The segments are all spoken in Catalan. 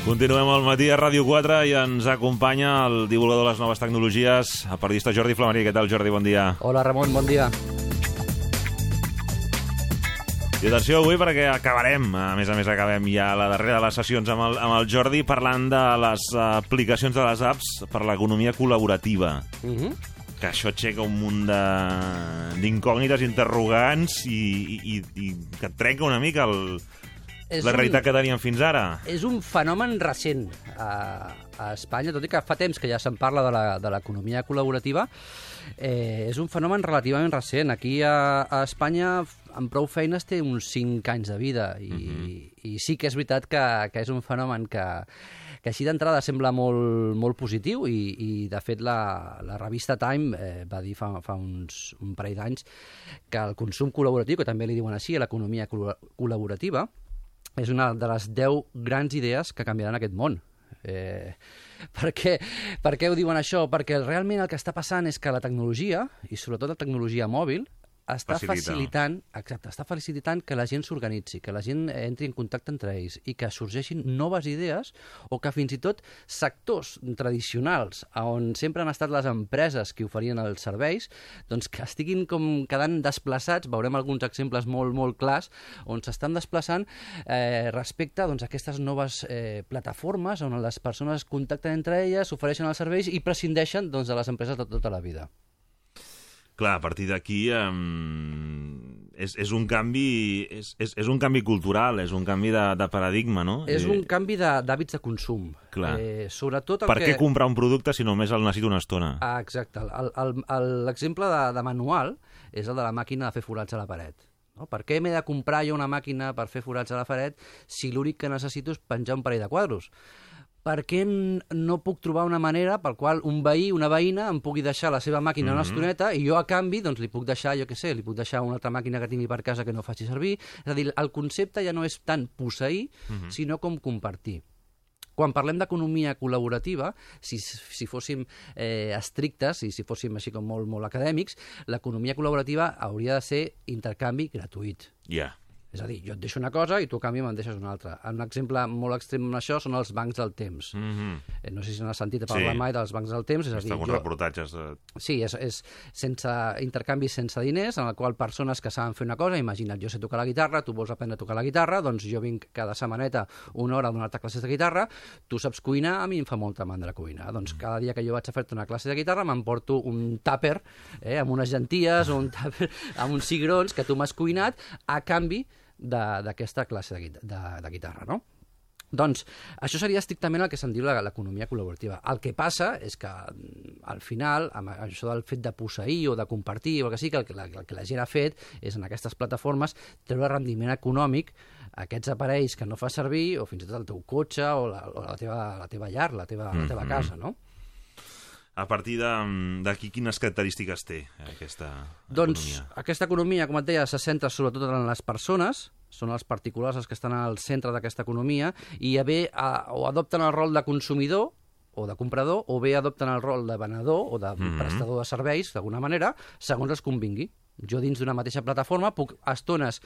Continuem al matí a Ràdio 4 i ens acompanya el divulgador de les noves tecnologies, el periodista Jordi Flamarí. Què tal, Jordi? Bon dia. Hola, Ramon, bon dia. I atenció avui perquè acabarem, a més acabem ja la darrera de les sessions amb el Jordi parlant de les aplicacions de les apps per l'economia col·laborativa. Que això aixeca un munt d'incògnites, interrogants i que et trenca una mica la realitat que teníem fins ara. És un fenomen recent a Espanya, tot i que fa temps que ja se'n parla de l'economia col·laborativa. És un fenomen relativament recent. Aquí a Espanya, amb prou feines, té uns 5 anys de vida i sí que és veritat que és un fenomen que així d'entrada sembla molt positiu i de fet la revista Time va dir fa un parell d'anys que el consum col·laboratiu, que també li diuen així, l'economia col·laborativa, és una de les 10 grans idees que canviaran aquest món. Per què ho diuen això? Perquè realment el que està passant és que la tecnologia, i sobretot la tecnologia mòbil, està facilitant que la gent s'organitzi, que la gent entri en contacte entre ells i que sorgeixin noves idees o que fins i tot sectors tradicionals on sempre han estat les empreses que oferien els serveis, doncs que estiguin com quedant desplaçats. Veurem alguns exemples molt clars on s'estan desplaçant respecte a aquestes noves plataformes on les persones contacten entre elles, ofereixen els serveis i prescindeixen de les empreses de tota la vida. Clar, a partir d'aquí és un canvi cultural, és un canvi de paradigma, no? És un canvi d'hàbits de consum. Clar. Sobretot per què comprar un producte si només el necessito una estona? Exacte. L'exemple de manual és el de la màquina de fer forats a la paret. No? Per què m'he de comprar jo una màquina per fer forats a la paret si l'únic que necessito és penjar un parell de quadros? Per què no puc trobar una manera per qual un veí, una veïna, em pugui deixar la seva màquina una estoneta i jo, a canvi, li puc deixar, li puc deixar una altra màquina que tingui per casa que no faci servir? És a dir, el concepte ja no és tant posseir, sinó com compartir. Quan parlem d'economia col·laborativa, si fóssim estrictes i si fóssim així com molt acadèmics, l'economia col·laborativa hauria de ser intercanvi gratuït. Ja. És a dir, jo et deixo una cosa i tu a canvi me'n deixes una altra. Un exemple molt extrem en això són els bancs del temps. No sé si n'has sentit parlar mai dels bancs del temps. És a dir, alguns reportatges. Sí, és sense intercanvi, sense diners, en el qual persones que saben fer una cosa, imagina't, jo sé tocar la guitarra, tu vols aprendre a tocar la guitarra, doncs jo vinc cada setmaneta una hora a donar-te classes de guitarra, tu saps cuinar, a mi em fa molta mandra cuinar. Doncs cada dia que jo vaig a fer-te una classe de guitarra m'emporto un tàper amb unes llenties o un tàper amb uns cigrons que tu m'has cuinat a canvi d'aquesta classe de guitarra, no? Doncs això seria estrictament el que se'n diu l'economia col·laborativa. El que passa és que al final, amb això del fet de posseir o de compartir o el que sigui, el que la gent ha fet és en aquestes plataformes treure rendiment econòmic a aquests aparells que no fa servir o fins i tot el teu cotxe o la teva llar, la teva casa, no? A partir d'aquí, quines característiques té aquesta economia? Doncs aquesta economia, com et deia, se centra sobretot en les persones, són els particulars els que estan al centre d'aquesta economia, i o adopten el rol de consumidor o de comprador, o bé adopten el rol de venedor o de prestador de serveis, d'alguna manera, segons els convingui. Jo dins d'una mateixa plataforma puc a estones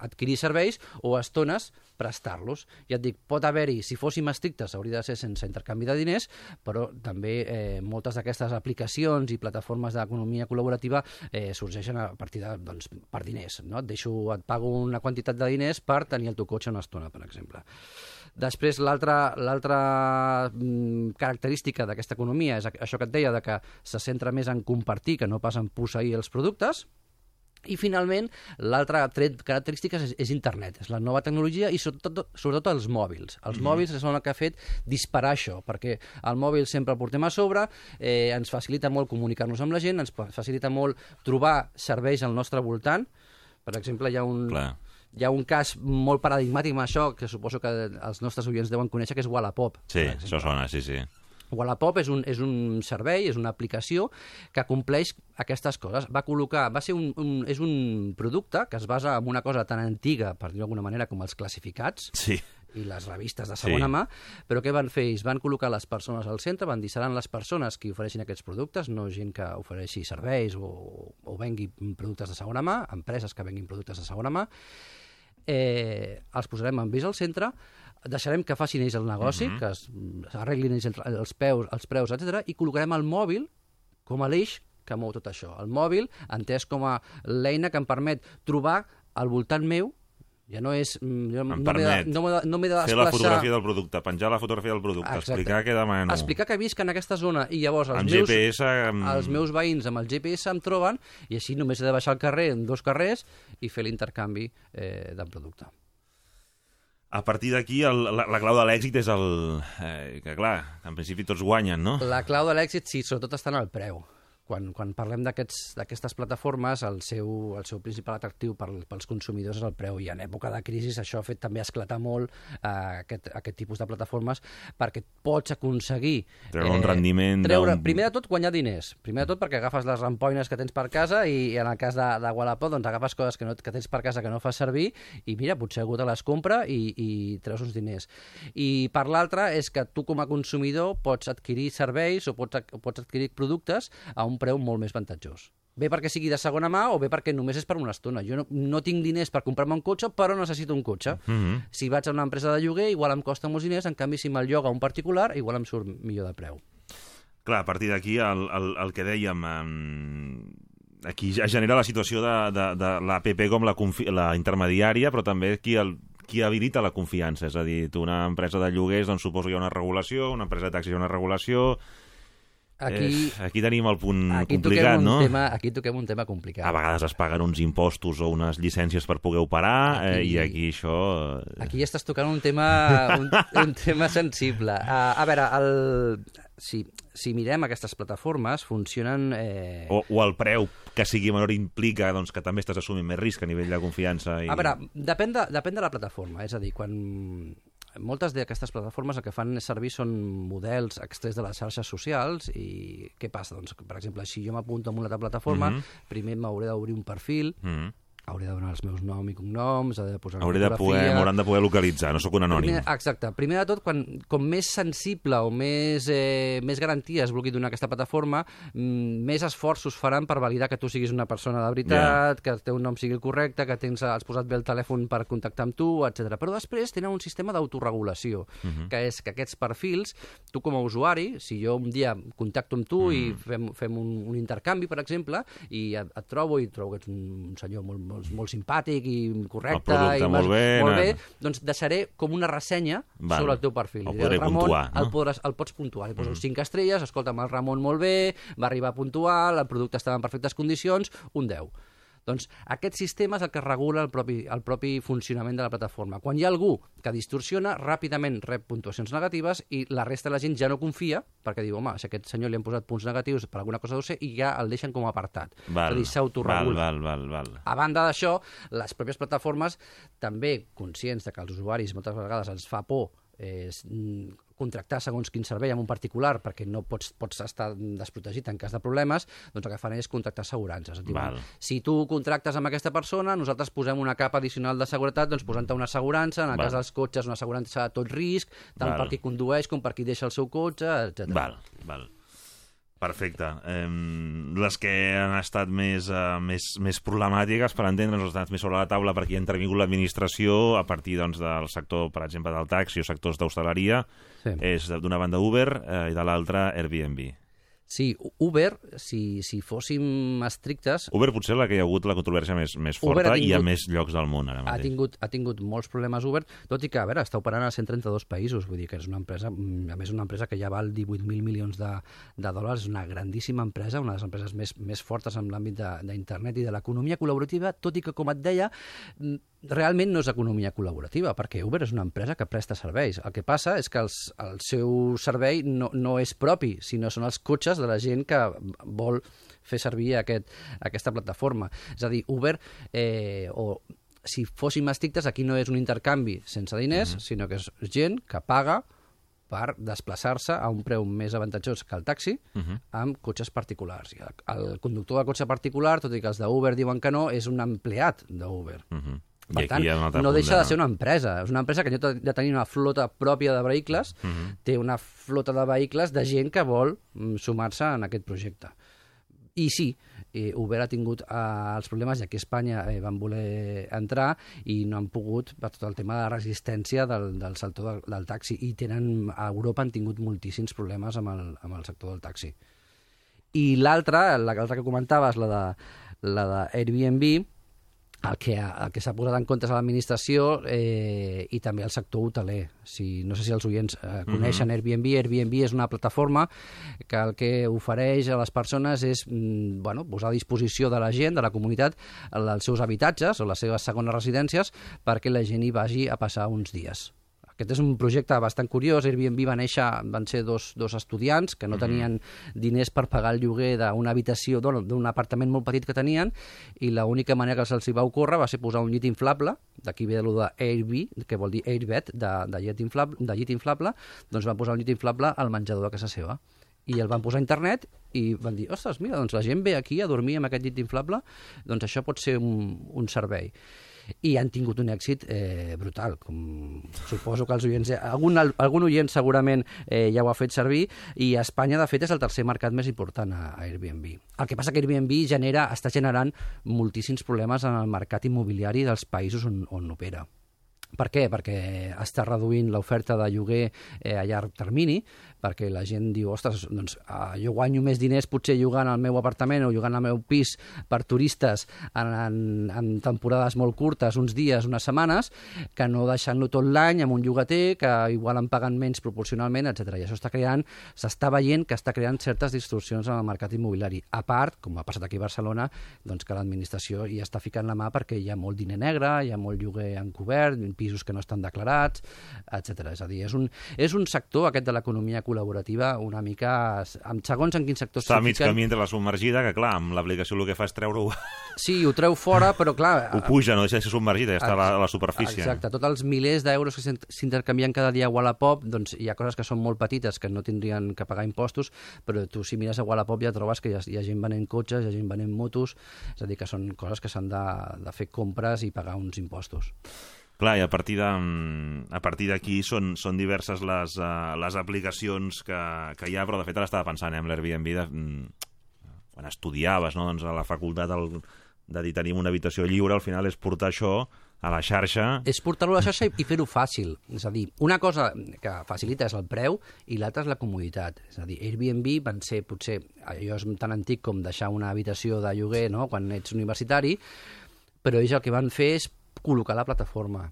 adquirir serveis o a estones prestar-los. Ja et dic, pot haver-hi, si fóssim estrictes, hauria de ser sense intercanvi de diners, però també moltes d'aquestes aplicacions i plataformes d'economia col·laborativa sorgeixen a partir per diners. No? Et pago una quantitat de diners per tenir el teu cotxe una estona, per exemple. Després, l'altra característica d'aquesta economia és això que et deia, que se centra més en compartir que no pas en posseir els productes. I, finalment, l'altra característica és internet, és la nova tecnologia i sobretot els mòbils. Els mòbils són el que ha fet disparar això, perquè el mòbil sempre el portem a sobre, ens facilita molt comunicar-nos amb la gent, ens facilita molt trobar serveis al nostre voltant. Per exemple, hi ha un cas molt paradigmàtic amb això, que suposo que els nostres oients deuen conèixer, que és Wallapop. Sí, això sona, sí. Wallapop és un servei, és una aplicació que compleix aquestes coses. És un producte que es basa en una cosa tan antiga, per dir-ho d'alguna manera, com els classificats. Sí. I les revistes de segona mà, però què van fer? Ells van col·locar les persones al centre, van dir seran les persones que ofereixin aquests productes, no gent que ofereixi serveis o vengui productes de segona mà, empreses que venguin productes de segona mà. Els posarem en vis al centre, deixarem que facin ells el negoci, que s'arreglin ells els preus, etc. i col·locarem el mòbil com a l'eix que mou tot això. El mòbil, entès com a l'eina que em permet trobar al voltant meu, ja no és... no m'he de desplaçar... Fer la fotografia del producte, penjar la fotografia del producte, explicar què demano. Explicar que visc en aquesta zona i llavors els meus veïns amb el GPS em troben i així només he de baixar al carrer en 2 carrers i fer l'intercanvi del producte. A partir d'aquí, la clau de l'èxit és que, clar, en principi tots guanyen, no? La clau de l'èxit, sí, sobretot està en el preu. Quan parlem d'aquestes plataformes, el seu principal atractiu pels consumidors és el preu, i en època de crisi això ha fet també esclatar molt aquest tipus de plataformes, perquè pots aconseguir... Treure un rendiment... Primer de tot, guanyar diners. Primer de tot perquè agafes les rampoines que tens per casa i en el cas de Wallapop doncs agafes coses que tens per casa que no fas servir i mira, potser algú te les compra i treus uns diners. I per l'altre és que tu com a consumidor pots adquirir serveis o pots adquirir productes a un preu molt més avantatjós. Bé perquè sigui de segona mà o bé perquè només és per una estona. Jo no tinc diners per comprar-me un cotxe, però necessito un cotxe. Si vaig a una empresa de lloguer, igual em costa molts diners, en canvi, si me'l lloga un particular, igual em surt millor de preu. Clar, a partir d'aquí, el que dèiem, aquí ja genera la situació de l'APP com la intermediària, però també qui habilita la confiança. És a dir, tu una empresa de lloguers, doncs suposo que hi ha una regulació, una empresa de taxis hi ha una regulació... Aquí tenim el punt complicat, no? Aquí toquem un tema complicat. A vegades es paguen uns impostos o unes llicències per poder operar i aquí això... Aquí estàs tocant un tema sensible. A veure, si mirem aquestes plataformes, funcionen... O el preu que sigui menor implica doncs, que també estàs assumint més risc a nivell de confiança. A veure, depèn de la plataforma. És a dir, quan... Moltes d'aquestes plataformes el que fan servir són models extrets de les xarxes socials i què passa? Doncs, per exemple, si jo m'apunto a una altra plataforma, primer m'hauré d'obrir un perfil, hauré de donar els meus noms i cognoms, he de posar una fotografia... M'hauran de poder localitzar, no sóc un anònim. Exacte. Primer de tot, com més sensible o més garanties vulgui donar aquesta plataforma, més esforços faran per validar que tu siguis una persona de veritat, que el teu nom sigui el correcte, que has posat bé el telèfon per contactar amb tu, etc. Però després tenen un sistema d'autoregulació, que és que aquests perfils, tu com a usuari, si jo un dia contacto amb tu i fem un intercanvi, per exemple, i et trobo que ets un senyor molt simpàtic i correcte, el producte molt bé, doncs deixaré com una ressenya sobre el teu perfil. El podré puntuar, no? El pots puntuar. Li poso 5 estrelles, escolta'm, el Ramon molt bé, va arribar puntual, el producte estava en perfectes condicions, un 10. Doncs aquest sistema és el que regula el propi funcionament de la plataforma. Quan hi ha algú que distorsiona, ràpidament rep puntuacions negatives i la resta de la gent ja no confia, perquè diu, home, si a aquest senyor li han posat punts negatius per alguna cosa deu ser, i ja el deixen com a apartat. És a dir, s'autoregula. A banda d'això, les pròpies plataformes, també conscients de que els usuaris moltes vegades ens fa por contractar segons quin servei amb un particular perquè no pots estar desprotegit en cas de problemes, doncs el que fan és contractar assegurances. Si tu contractes amb aquesta persona, nosaltres posem una capa addicional de seguretat, doncs posant-te una assegurança, en el cas dels cotxes una assegurança a tot risc, tant per qui condueix com per qui deixa el seu cotxe, etc. Val. Perfecte. Les que han estat més problemàtiques, per entendre'ns, les estan més sobre la taula perquè hi ha intervingut l'administració a partir del sector, per exemple, del taxi o sectors d'hostaleria, és d'una banda Uber i de l'altra Airbnb. Sí, Uber, si fóssim estrictes... Uber potser la que hi ha hagut la controvèrsia més forta i a més llocs del món ara mateix. Ha tingut molts problemes Uber, tot i que, a veure, està operant a 132 països, vull dir que és una empresa, a més una empresa que ja val 18.000 milions de dòlars, és una grandíssima empresa, una de les empreses més fortes en l'àmbit d'internet i de l'economia col·laborativa, tot i que, com et deia, realment no és economia col·laborativa, perquè Uber és una empresa que presta serveis. El que passa és que el seu servei no és propi, sinó són els cotxes de la gent que vol fer servir aquesta plataforma. És a dir, Uber, si fóssim estrictes, aquí no és un intercanvi sense diners, sinó que és gent que paga per desplaçar-se a un preu més avantatjós que el taxi amb cotxes particulars. El conductor de cotxe particular, tot i que els d'Uber diuen que no, és un empleat d'Uber. Per tant, no deixa de ser una empresa. És una empresa que ha de tenir una flota pròpia de vehicles, té una flota de vehicles de gent que vol sumar-se en aquest projecte. I sí, Uber ha tingut els problemes, i aquí a Espanya van voler entrar i no han pogut per tot el tema de la resistència del sector del taxi, i a Europa han tingut moltíssims problemes amb el sector del taxi. I l'altra que comentaves, la de Airbnb, el que s'ha posat en compte és l'administració i també el sector hoteler. No sé si els oients coneixen Airbnb. Airbnb és una plataforma que el que ofereix a les persones és posar a disposició de la gent, de la comunitat, els seus habitatges o les seves segones residències perquè la gent hi vagi a passar uns dies. Aquest és un projecte bastant curiós. Airbnb van ser dos estudiants que no tenien diners per pagar el lloguer d'una habitació, d'un apartament molt petit que tenien, i l'única manera que se'ls va ocórrer va ser posar un llit inflable, d'aquí ve el de Airbnb, que vol dir Airbed, de llit inflable, doncs van posar un llit inflable al menjador de casa seva. I el van posar a internet i van dir, ostres, mira, doncs la gent ve aquí a dormir amb aquest llit inflable, doncs això pot ser un servei. I han tingut un èxit brutal, com suposo que els oients... Algun oient segurament ja ho ha fet servir, i a Espanya, de fet, és el tercer mercat més important a Airbnb. El que passa que Airbnb està generant moltíssims problemes en el mercat immobiliari dels països on opera. Per què? Perquè està reduint l'oferta de lloguer a llarg termini, perquè la gent diu, ostres, doncs jo guanyo més diners potser llogant el meu apartament o llogant el meu pis per turistes en temporades molt curtes, uns dies, unes setmanes, que no deixant-lo tot l'any amb un llogater que igual em paguen menys proporcionalment, etc. I això s'està veient que està creant certes distorsions en el mercat immobiliari. A part, com ha passat aquí a Barcelona, doncs que l'administració hi està ficant la mà perquè hi ha molt diner negre, hi ha molt lloguer encobert, pisos que no estan declarats, etc. És a dir, és un sector, aquest de l'economia col·laborativa, una mica... Segons en quin sector està mig camí entre la submergida, que clar, amb l'aplicació el que fa és treure-ho... Sí, ho treu fora, però clar... Ho puja, no deixa de ser submergida, ja està a la superfície. Exacte, tots els milers d'euros que s'intercanvien cada dia a Wallapop, doncs hi ha coses que són molt petites, que no tindrien que pagar impostos, però tu si mires a Wallapop ja trobes que hi ha gent venent cotxes, hi ha gent venent motos, és a dir, que són coses que s'han de fer compres i pagar uns impostos. Clar, i a partir d'aquí són diverses les aplicacions que hi ha, però de fet ara estava pensant en l'Airbnb quan estudiaves, no? Doncs a la facultat de dir tenim una habitació lliure, al final és portar això a la xarxa. És portar-ho a la xarxa i fer-ho fàcil. És a dir, una cosa que facilita és el preu i l'altra és la comoditat. És a dir, Airbnb van ser potser, allò és tan antic com deixar una habitació de lloguer, no?, quan ets universitari, però ells el que van fer és col·locar la plataforma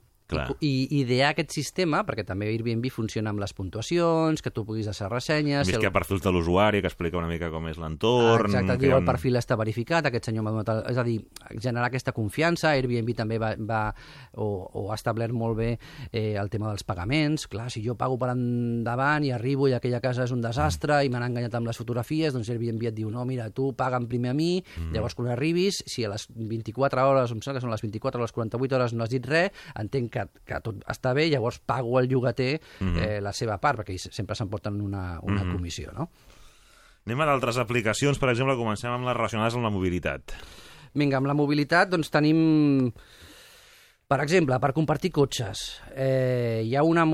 i idear aquest sistema, perquè també Airbnb funciona amb les puntuacions, que tu puguis deixar ressenyes... Més que hi ha perfils de l'usuari, que explica una mica com és l'entorn... Exacte, diu el perfil està verificat, aquest senyor m'ha donat... És a dir, generar aquesta confiança. Airbnb també va ha establert molt bé el tema dels pagaments. Clar, si jo pago per endavant i arribo i aquella casa és un desastre i m'han enganyat amb les fotografies, doncs Airbnb et diu, no, mira, tu paga'm primer a mi, llavors quan arribis, si a les 24 hores, em sembla que són les 24 o les 48 hores no has dit res, entenc que tot està bé, llavors pago al llogater la seva part, perquè sempre s'emporten una comissió, no? Anem a d'altres aplicacions, per exemple, comencem amb les relacionades amb la mobilitat. Vinga, amb la mobilitat, doncs tenim... Per exemple, per compartir cotxes. Hi ha una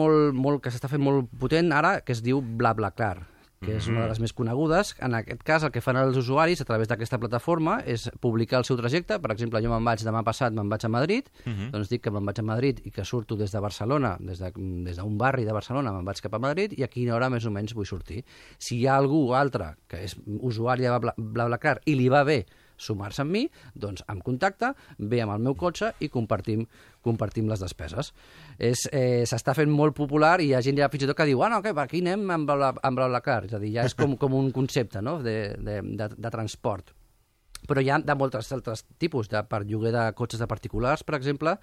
que s'està fent molt potent ara, que es diu BlaBlaCar, que és una de les més conegudes. En aquest cas, el que fan els usuaris a través d'aquesta plataforma és publicar el seu trajecte. Per exemple, jo demà passat me'n vaig a Madrid, doncs dic que me'n vaig a Madrid i que surto des de Barcelona, des d'un barri de Barcelona me'n vaig cap a Madrid i a quina hora més o menys vull sortir. Si hi ha algú altre que és usuari de BlaBlaCar i li va bé sumar-se amb mi, doncs em contacta, ve amb el meu cotxe i compartim les despeses. S'està fent molt popular i hi ha gent ja fins i tot que diu per aquí anem amb BlaBlaCar. És a dir, ja és com un concepte, no?, de transport. Però hi ha de molts altres tipus. Per lloguer de cotxes de particulars, per exemple,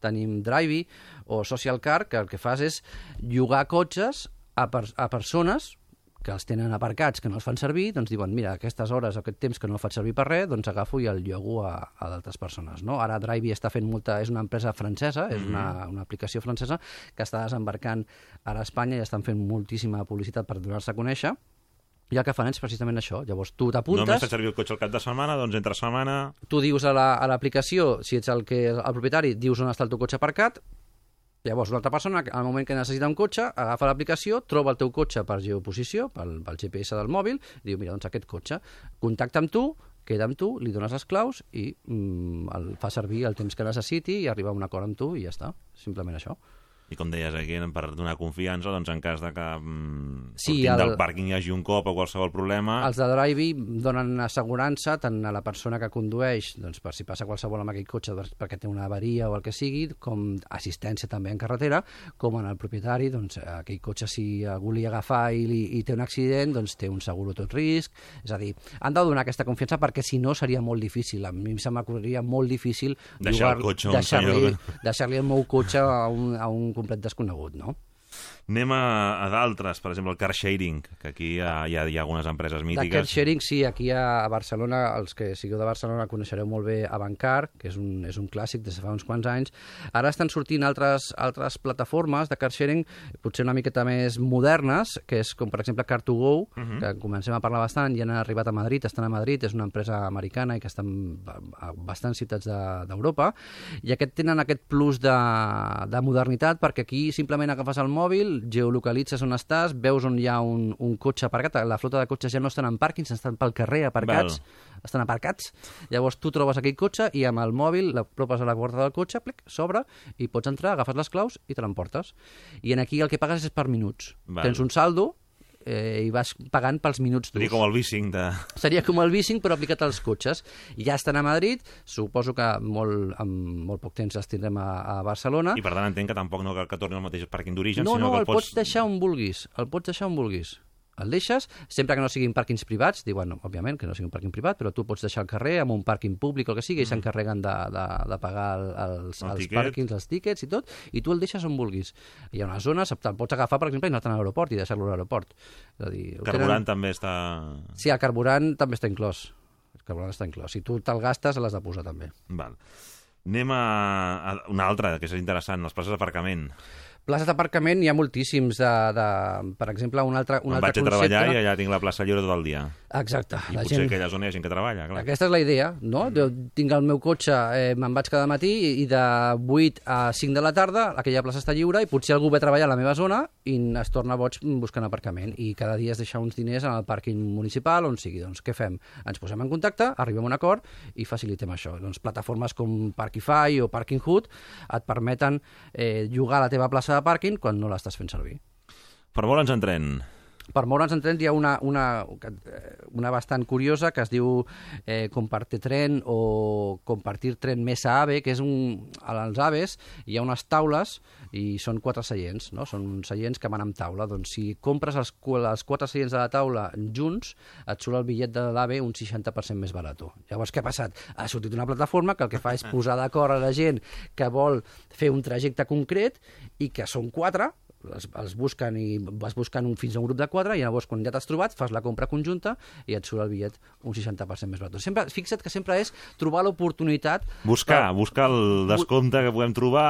tenim Drivey o Social Car, que el que fas és llogar cotxes a persones que els tenen aparcats, que no els fan servir, doncs diuen, mira, aquestes hores, aquest temps que no el faig servir per res, doncs agafo i el llogo a d'altres persones, no? Ara Drivey està fent és una empresa francesa, és una aplicació francesa que està desembarcant ara a Espanya i estan fent moltíssima publicitat per donar-se a conèixer, i el que fan és precisament això. Llavors tu t'apuntes... Només faig servir el cotxe al cap de setmana, doncs entre setmana... Tu dius a l'aplicació, si ets el propietari, dius on està el teu cotxe aparcat. Llavors, una altra persona, al moment que necessita un cotxe, agafa l'aplicació, troba el teu cotxe per geoposició, pel GPS del mòbil, i diu, mira, doncs aquest cotxe, contacta amb tu, queda amb tu, li dones les claus i el fa servir el temps que necessiti i arriba a un acord amb tu i ja està, simplement això. I com deies aquí, per donar confiança, doncs en cas de que Sí, del pàrquing hi hagi un cop o qualsevol problema... Els de Drivey donen assegurança tant a la persona que condueix, doncs per si passa qualsevol amb aquell cotxe perquè té una avaria o el que sigui, com assistència també en carretera, com en el propietari, doncs aquell cotxe si algú li agafa i té un accident, doncs té un seguro tot risc. És a dir, han de donar aquesta confiança perquè si no seria molt difícil. A mi se m'acorreria molt difícil deixar-li el meu cotxe a un complet desconegut, no? Anem a d'altres, per exemple, el car sharing, que aquí hi ha algunes empreses mítiques. De car sharing, sí, aquí a Barcelona, els que sigueu de Barcelona coneixereu molt bé Avantcar, que és un clàssic des de fa uns quants anys. Ara estan sortint altres plataformes de car sharing, potser una miqueta més modernes, que és com, per exemple, Car2Go, que comencem a parlar bastant, ja han arribat a Madrid, estan a Madrid, és una empresa americana i que estan a bastants ciutats d'Europa, i tenen aquest plus de modernitat, perquè aquí simplement agafes el mòbil, geolocalitzes on estàs, veus on hi ha un cotxe aparcat, la flota de cotxes ja no estan en pàrquings, estan pel carrer aparcats, estan aparcats, llavors tu trobes aquell cotxe i amb el mòbil l'apropes a la porta del cotxe, s'obre i pots entrar, agafes les claus i te l'emportes. I aquí el que pagues és per minuts. Tens un saldo i vas pagant pels minuts d'ús. Seria com el bicing Seria com el bicing, però aplicat als cotxes. Ja estan a Madrid, suposo que en molt poc temps els tindrem a Barcelona. I per tant entenc que tampoc no cal que torni al mateix pàrquing d'origen, sinó que el pots deixar on vulguis. El deixes, sempre que no siguin pàrquings privats, diuen, òbviament, que no sigui un pàrquing privat, però tu pots deixar al carrer amb un pàrquing públic o el que sigui, i s'encarreguen de pagar els pàrquings, els tíquets i tot, i tu el deixes on vulguis. Hi ha unes zones, te'l pots agafar, per exemple, i anar-te'n a l'aeroport i deixar-lo a l'aeroport. El carburant també està... Sí, el carburant també està inclòs. Si tu te'l gastes, l'has de posar també. Val. Anem a una altra, que és interessant, les places d'aparcament. Places d'aparcament hi ha moltíssims. Per exemple, un altre concepte... Vaig a treballar i allà tinc la plaça lliure tot el dia. Exacte. I potser que aquella zona hi ha gent que treballa, clar. Aquesta és la idea, no? Jo tinc el meu cotxe, me'n vaig cada matí i de 8 a 5 de la tarda aquella plaça està lliure i potser algú ve a treballar a la meva zona i es torna boig buscant aparcament. I cada dia es deixa uns diners en el pàrquing municipal, on sigui. Doncs què fem? Ens posem en contacte, arribem a un acord i facilitem això. Doncs plataformes com Parkify o Parking Hood et permeten llogar la teva plaça de pàrquing quan no l'estàs fent servir. Per moure'ns en tren. Per moure'ns en tren hi ha una bastant curiosa que es diu Compartir Tren o Compartir Tren Mesa AVE, que és als AVEs hi ha unes taules i són 4 seients, no? Són seients que van amb taula. Doncs si compres els 4 seients de la taula junts, et surt el bitllet de l'AVE un 60% més barat. Llavors, què ha passat? Ha sortit una plataforma que el que fa és posar d'acord a la gent que vol fer un trajecte concret i que són 4, els busquen i vas buscant fins a un grup de 4 i llavors quan ja t'has trobat fas la compra conjunta i et surt el bitllet un 60% més barat. Fixa't que sempre és trobar l'oportunitat... Buscar el descompte que puguem trobar,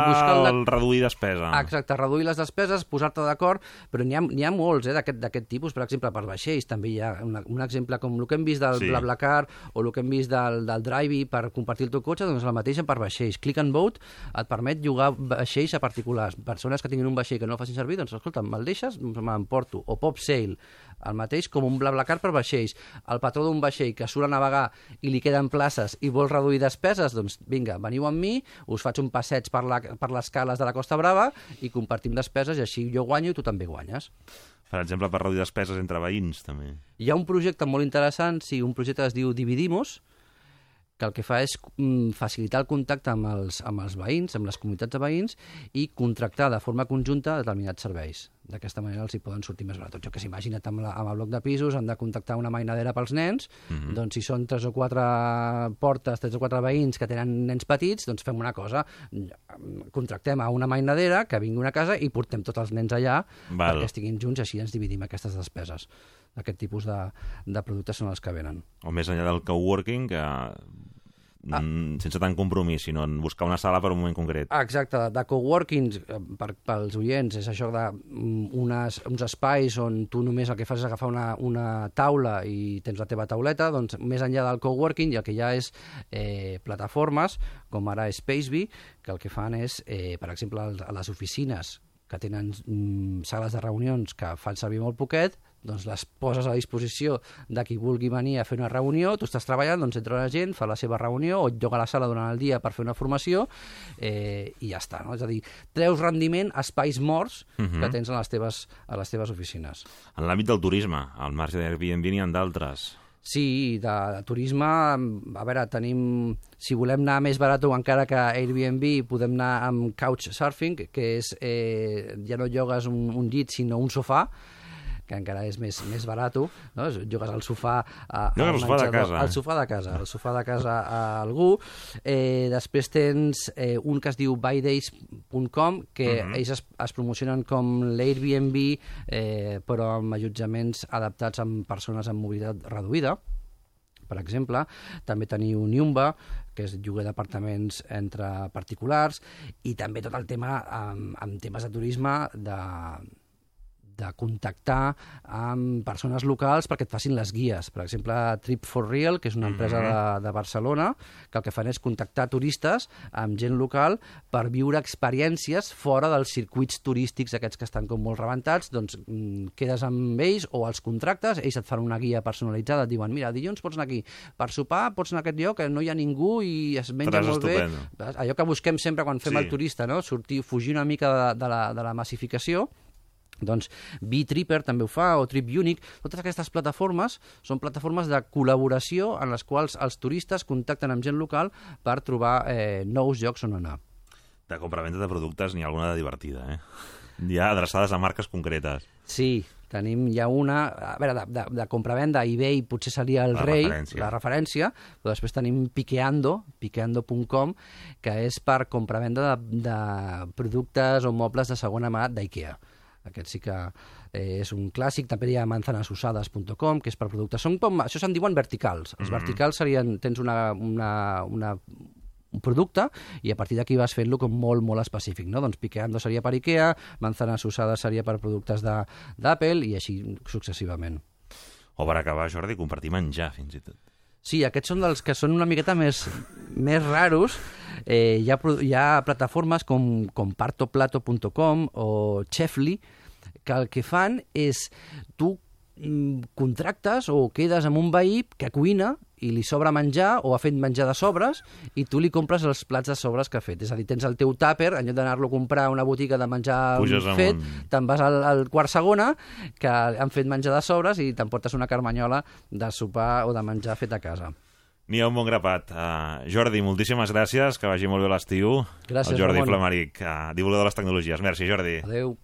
el reduir despesa. Exacte, reduir les despeses, posar-te d'acord, però n'hi ha molts d'aquest tipus, per exemple, per vaixells també hi ha un exemple com el que hem vist del BlaBlaCar o el que hem vist del Drivey per compartir el teu cotxe, doncs la mateixa per vaixells. Click and Boat et permet llogar vaixells a particulars. Persones que tinguin un vaixell que no facin servir, doncs escolta, me'l deixes, m'emporto. O Pop Sail, el mateix com un BlaBlaCar per vaixells. El patró d'un vaixell que surt a navegar i li queden places i vol reduir despeses, doncs vinga, veniu amb mi, us faig un passeig per les cales de la Costa Brava i compartim despeses i així jo guanyo i tu també guanyes. Per exemple, per reduir despeses entre veïns, també. Hi ha un projecte molt interessant, un projecte que es diu Dividimos, que el que fa és facilitar el contacte amb els veïns, amb les comunitats de veïns, i contractar de forma conjunta determinats serveis. D'aquesta manera els hi poden sortir més barat. Jo que s'imagina't amb el bloc de pisos, han de contactar una mainadera pels nens, doncs si són 3 o 4 portes, 3 o 4 veïns que tenen nens petits, doncs fem una cosa, contractem a una mainadera que vingui a una casa i portem tots els nens allà perquè estiguin junts i així ens dividim aquestes despeses. Aquest tipus de productes són els que venen. O més enllà del coworking, que sense tant compromís, sinó en buscar una sala per un moment concret. Exacte, de coworking, pels oients, és això uns espais on tu només el que fas és agafar una taula i tens la teva tauleta, doncs més enllà del coworking el que hi ha és plataformes, com ara Spacebee, que el que fan és, per exemple, a les oficines que tenen sales de reunions que fan servir molt poquet, doncs les poses a disposició de qui vulgui venir a fer una reunió, tu estàs treballant, doncs entra la gent, fa la seva reunió o et lloga a la sala durant el dia per fer una formació i ja està, no? És a dir, treus rendiment a espais morts que tens a les teves oficines. En l'àmbit del turisme, al marge d'Airbnb n'hi ha d'altres. Sí, de turisme, a veure, tenim, si volem anar més barat o encara que Airbnb, podem anar amb Couchsurfing, que és, ja no llogues un llit, sinó un sofà, que encara és més barat, no? Llogues al sofà al sofà de casa. Al sofà de casa a algú. Després tens un que es diu buydays.com, que ells es promocionen com l'Airbnb, però amb allotjaments adaptats amb persones amb mobilitat reduïda. Per exemple, també teniu Nyumba, que és lloguer d'apartaments entre particulars, i també tot el tema amb temes de turisme, de contactar amb persones locals perquè et facin les guies. Per exemple, Trip for Real, que és una empresa de Barcelona, que el que fan és contactar turistes amb gent local per viure experiències fora dels circuits turístics aquests que estan com molt rebentats, doncs quedes amb ells o els contractes, ells et fan una guia personalitzada, et diuen, mira, dilluns pots anar aquí, per sopar pots anar a aquest lloc que no hi ha ningú i es menja molt bé. Allò que busquem sempre quan fem el turista, no? Sortir, fugir una mica de la massificació. Doncs BeTripper també ho fa, o TripUnic. Totes aquestes plataformes són plataformes de col·laboració en les quals els turistes contacten amb gent local per trobar nous llocs on anar. De compravenda de productes n'hi ha alguna de divertida, Hi ha adreçades a marques concretes. Sí, tenim ja una... A veure, de compravenda, eBay potser seria el rei, la referència, però després tenim Piqueando.com, que és per compravenda de productes o mobles de segona mà d'IKEA. Aquest sí que és un clàssic. També hi ha manzanasusades.com, que és per productes. Això se'n diuen verticals. Els verticals serien, tens un producte i a partir d'aquí vas fent-lo com molt, molt específic, no? Doncs Piqueando seria per IKEA, Manzanas Usades seria per productes d'Apple i així successivament. O per acabar, Jordi, compartir menjar, fins i tot. Sí, aquests són dels que són una miqueta més raros. Hi ha plataformes com partoplato.com o Chefly, que el que fan és tu contractes o quedes amb un veí que cuina i li sobra menjar o ha fet menjar de sobres i tu li compres els plats de sobres que ha fet. És a dir, tens el teu tàper, en lloc d'anar-lo a comprar a una botiga de menjar fet, te'n vas al quart segona, que han fet menjar de sobres i t'emportes una carmanyola de sopar o de menjar fet a casa. N'hi ha un bon grapat. Jordi, moltíssimes gràcies, que vagi molt bé l'estiu. Gràcies, el Jordi Ramon. Flamaric, divulgador de les tecnologies. Merci, Jordi. Adéu.